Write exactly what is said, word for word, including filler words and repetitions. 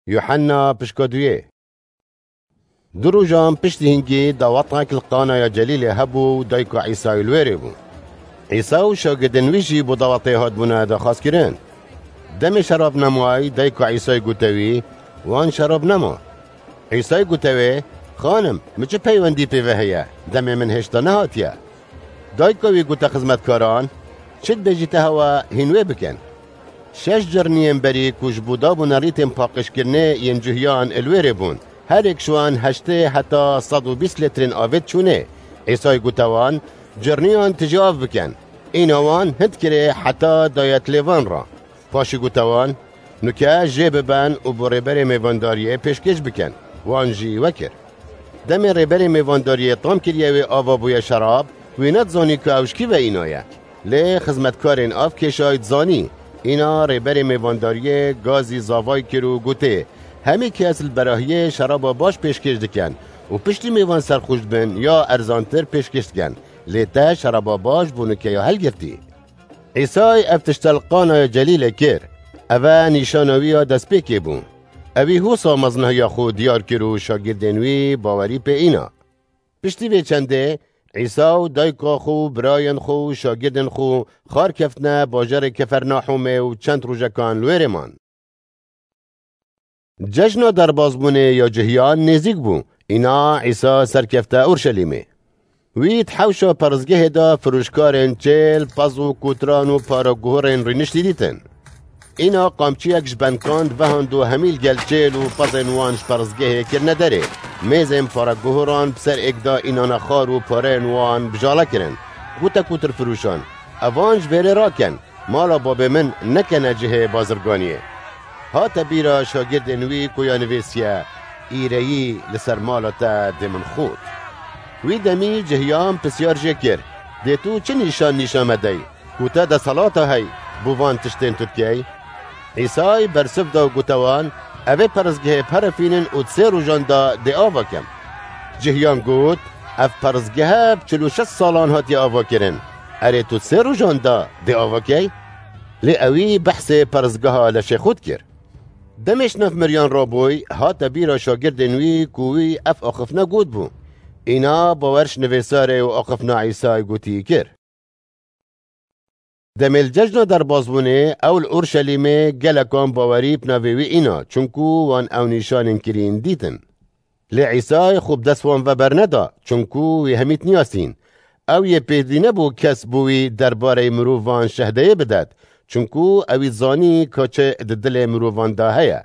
Yuhanna pişka duyê. Du rojan piştî hingî dawetnek li Qanaya Celîlê hebû û dayika Îsayî li wêrê bû. Îsa û şagirdên wî jî bo dawetê hatbûne daxwazkirin. Demê şerab nemay, dayika Îsayî gote wî, wan şerab nema. Îsayî gote wê, Xanim, min çi peywendî pê ve heye? Demê min hêşta nehatiye. Dayika wî gote xizmetkaran, Çi dibêjî te hewe, hîn wê bikin. Şeş cirniyên berî ku ji bo dabûna rîtên paqijkirinê yên cuhiyan li wêrê bûn. Her yek ji wan heştê heta sed û bîst litrên avê diçûnê. Îsayî gote wan, Cirniyan tijî av bikin. Îna wan hind kirê heta daye tilê van re. Paşî gote wan, Nuke jê biben û bo rêberê mêvandariyê pêşkêş bikin. Wan jî wekir. Demê rêberê mêvandariyê tam kiriye wê ava bûye şerab, wî nedizanî ku ew ji kî ve îna ye. Lê xizmetkarên av kêşayî dizanî. Îna rêberê mêvandariyê gazî zavay kir û gotê, Hemî kes li berahiyê şeraba baş pêşkêş dikin û piştî mêvan serxoş dibin ya erzantir pêşkêş dikin. Lê te şeraba baş bo nukeya helgirtî. Îsay ev tişte li Qanaya Celîlê kir. Ev e nîşana wî ya destpêkê bû. Ewî hosa mezinahiya xwe diyar kir û şagirdên wî bawerî pê îna. Piştî vê çendê, Îsa û dayika xwe û birayên xwe û şagirdên xwe xar keftine bajarê Kefernahûmê û çend rojekan li wêrê man. Cejna derbazbûnê ya cihiyan nêzîk bû. Îna Îsa serkefte Urşelîmê. Wî di hewşa perestgehê de firoşkarên çêl, pez û kotran û paraguhurên rîniştî dîtin. Îna qamçiyek ji benkan divehand û hemî li gel çêl û pezên wan ji perestgehê kirine derê. Mêzên paraguhuran bi ser êk de înana xar û pareyên wan bijale kirin. Gote kotirfiroşan, Evan ji vêrê rakin, mala babê min nekene cihê bazirganiyê. Hate bîra şagirdên wî ku ya nivîsiye, Îreyî li ser mala te dê min xurt. Wî demî cihiyan pisyar jê kir, Dê tu çi nîşan nîşan me dey, ku te desthilata hey bo van tiştên tu dikey? Îsay bersiv da û gote wan, Evê perestgehê perefînin û di sê rojan de dê ava kem. Cihiyan got, Ev perestgehe bi çil û şeş salan hatiye ava kirin. Erê tu di sê rojan de dê ava key? Lê ewî behsê perestgeha leşê xwe dikir. Demê ji nav miriyan rabûy, hate bîra şagirdên wî ku wî ev axiftina gotibû. Îna bawer ji nivîsarê û axiftina Îsay gotî kir. Demê li cejna derbazbûnê ew li Urşelîmê gelekan bawerî bi navê wî îna, çunku wan ew nîşanên kirîn dîtin. Lê Îsay xwe bi dest wan ve berneda, çunku wî hemî diniyasîn. Ew yê pêdî nebû kes bo wî derbarê mirovan şehdeyê bidet, çunku ewî zanî ka çi di dilê mirovan de heye.